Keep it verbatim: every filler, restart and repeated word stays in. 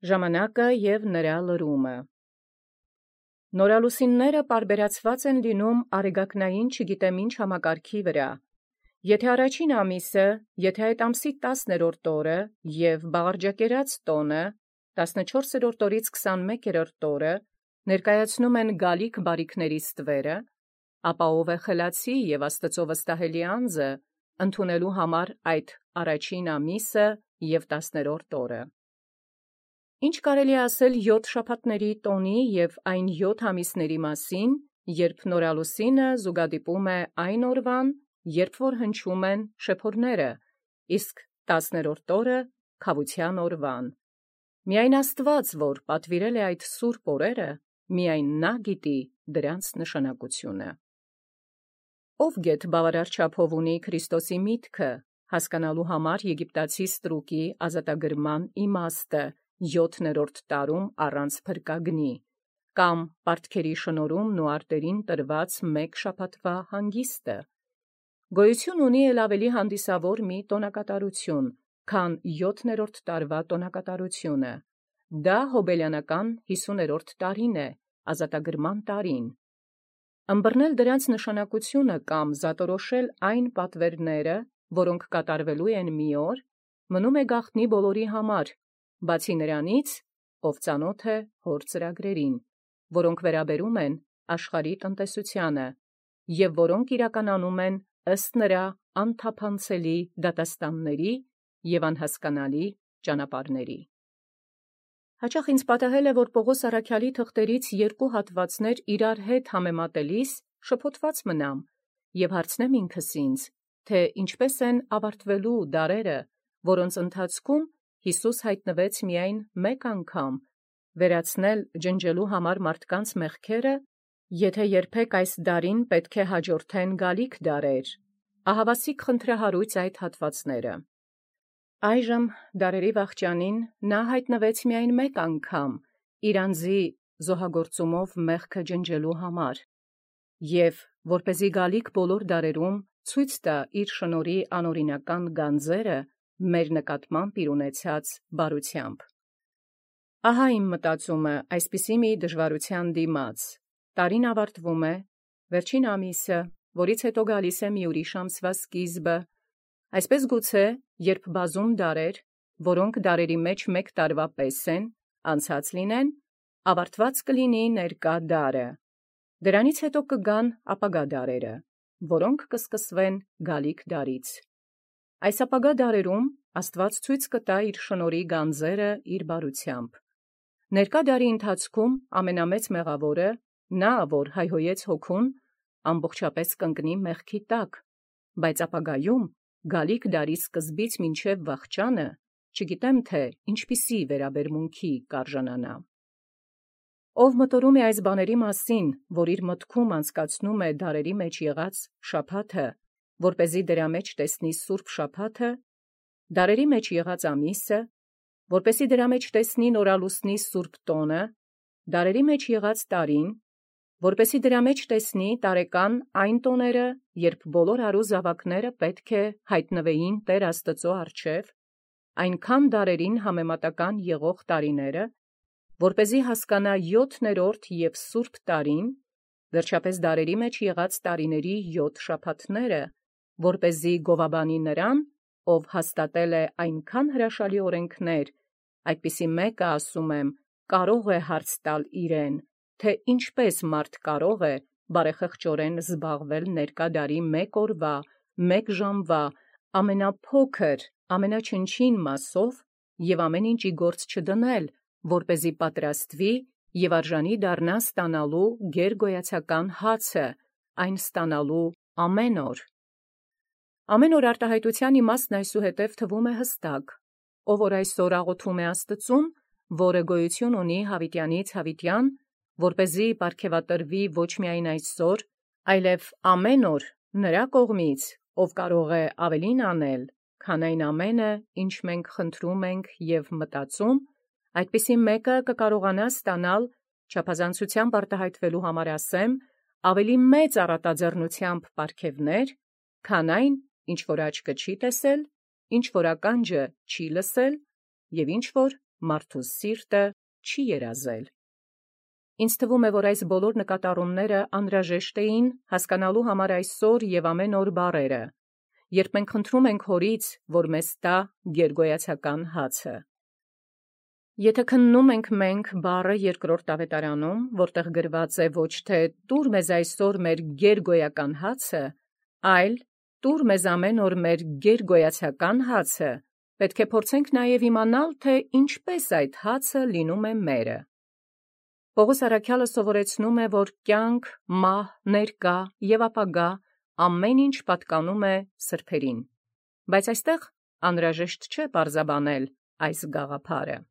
Ժամանակը և նրա լրումը։ Նորալուսինները պարբերացված են լինում արեգակնային չգիտեմ ինչ համակարգի վրա։ Եթե առաջին ամիսը, եթե այդ ամսի տասներորդ օրը և բաղարջակերած տոնը, տասնչորսերորդ օրից քսանմեկերորդ օրը ներկայացնում են գալիք բարիքների ստվերը, ապա ով է խելացի և Աստծո վստահելի անձը ընդունելու համար այդ առաջին ամիսը և տասներորդ օրը։ Ինչ կարելի է ասել յոթ շաբաթների տոնի և այն յոթ ամիսների մասին, երբ նորալուսինը զուգադիպում է այն օրվան, երբ որ հնչում են շեփորները, իսկ տասներորդ օրը քավության օրվան։ Միայն Աստված, որ պատվիրել է այդ սուրբ օրերը, միայն նա գիտի դրանց նշանակությունը։ Ով գեթ բավարար չափով ունի Քրիստոսի միտքը, հասկանալու համար եգիպտացի ստրուկի ազատագրման իմաստը յոթներորդ տարում առանց փրկագնի, կամ պարտքերի շնորհումն ու արտերին տրված մեկ շաբաթվա հանգիստը։ Գոյություն ունի էլ ավելի հանդիսավոր մի տոնակատարություն, քան յոթներորդ տարվա տոնակատարությունը, դա հոբելյանական հիսուներորդ տարին է, ազատագրման տարին։ Ըմբռնել դրանց նշանակությունը կամ զատորոշել այն պատվերները, որոնք կատարվելու են մի օր, մնում է գաղտնի բոլորի համար, բացի նրանից, ով ծանոթ է հոր ծրագրերին, որոնք վերաբերում են աշխարհի տնտեսությանը, և որոնք իրականանում են ըստ նրա անթափանցելի դատաստանների և անհասկանալի ճանապարհների։ Հաճախ ինձ պատահել է, որ Պողոս առաքյալի թղթերից երկու հատվածներ իրար հետ համեմատելիս շփոթված մնամ և հարցնեմ ինքս ինձ, թե ինչպես են ավարտվելու դարերը, որոնց ընթացքում Յիսուս հայտնվեց միայն մեկ անգամ, վերացնել ջնջելու համար մարդկանց մեղքերը, եթե երբեք այս դարին պետք է հաջորդեն գալիք դարեր, ահավասիկ խնդրահարույց այդ հատվածները։ Այժմ դարերի վախճանին նա հայտնվեց միայն մեկ անգամ իր անձի զոհագործումով մեղքը ջնջելու համար, և որպեսզի գալիք բոլոր դարերում ցույց տա իր շնորհի անօրինական գանձերը մեր նկատմամբ իր ունեցած բարությամբ։ Ահա իմ մտածումը այսպիսի մի դժվարության դիմաց. տարին ավարտվում է, վերջին ամիսը, որից հետո գալիս է մի ուրիշ ամսվա սկիզբը, այսպես գուցե, երբ բազում դարեր, որոնք դարերի մեջ մեկ տարվա պես են, անցած լինեն, ավարտված կլինի ներկա դարը, դրանից հետո կգան ապագա դարերը, որոնք կսկսվեն գալիք դարից։ Այս ապագա դարերում Աստված ցույց կտա իր շնորհի գանձերը իր բարությամբ։ Ներկա դարի ընթացքում ամենամեծ մեղավորը, նա, որ հայհոյեց հոգուն, ամբողջապես կընկնի մեղքի տակ, բայց ապագայում գալիք դարի սկզբից մինչև վախճանը, չգիտեմ թե ինչպիսի վերաբերմունքի կարժանանա։ Ով մտորում է այս բաների մասին, որ իր մտքում անցկացնում է դարերի մեջ եղած շաբաթը, որպեսզի դրա մեջ տեսնի սուրբ շաբաթը, դարերի մեջ եղած ամիսը, որպեսզի դրա մեջ տեսնի նորալուսնի սուրբ տոնը, դարերի մեջ եղած տարին, որպեսզի դրա մեջ տեսնի տարեկան այն տոները, երբ բոլոր հարու զավակները պետք է հայտնվեին Տեր Աստծո առջև, այնքան դարերին համեմատական եղող տարիները, որպեսզի հասկանա յոթներորդ և սուրբ տարին, վերջապես դարերի մեջ եղած տարիների յոթ շաբաթները, որպեսզի գովաբանի նրան, ով հաստատել է այնքան հրաշալի օրենքներ, այդպիսի մեկը, ասում եմ, կարող է հարց տալ իրեն, թե ինչպես մարդ կարող է բարեխղճորեն զբաղվել ներկա դարի մեկ օրվա, մեկ ժամվա, ամենափոքր, ամենաչնչին մասով և ամեն ինչ ի գործ չդնել, որպեսզի պատրաստվի և արժանի դառնա ստանալու գերգոյացական հացը, այն ստանալու ամեն օր։ Ամեն օր արտահայտության իմաստն այսուհետև թվում է հստակ, ով որ այսօր աղոթում է Աստծուն, որը գոյություն ունի հավիտյանից հավիտյան, որպեսզի պարգևատրվի ոչ միայն այսօր, այլև ամեն օր նրա կողմից, ով կարող է ավելին անել, քան այն ամենը, ինչ մենք խնդրում ենք և մտածում, այդպիսի մեկը կկարողանա ստանալ, չափազանցությամբ արտահայտվելու համար ասեմ, ավելի մեծ առատաձեռնությամբ պարգևներ, քան այն, ինչ որ աչքը չի տեսել, ինչ որ ականջը չի լսել, և ինչ որ մարդու սիրտը չի երազել։ Ինձ թվում է, որ այս բոլոր նկատառումները անհրաժեշտ էին հասկանալու համար այսօր և ամեն օր բառերը, երբ մենք խնդրում ենք Հորից, որ մեզ տա գերգոյացական հացը։ Եթե քննում ենք մենք բառը երկրորդ ավետարանում, որտեղ գրված է ոչ թե «Տուր մեզ այսօր մեր գերգոյական հացը», այլ «Տուր մեզ ամեն օր մեր գերգոյացական հացը», պետք է փորձենք նաև իմանալ, թե ինչպես այդ հացը լինում է մերը։ Պողոս առաքյալը սովորեցնում է, որ կյանք, մահ, ներկա և ապագա ամեն ինչ պատկանում է սրբերին, բայց այստեղ անհրաժեշտ չէ պարզաբանել այս գաղափարը։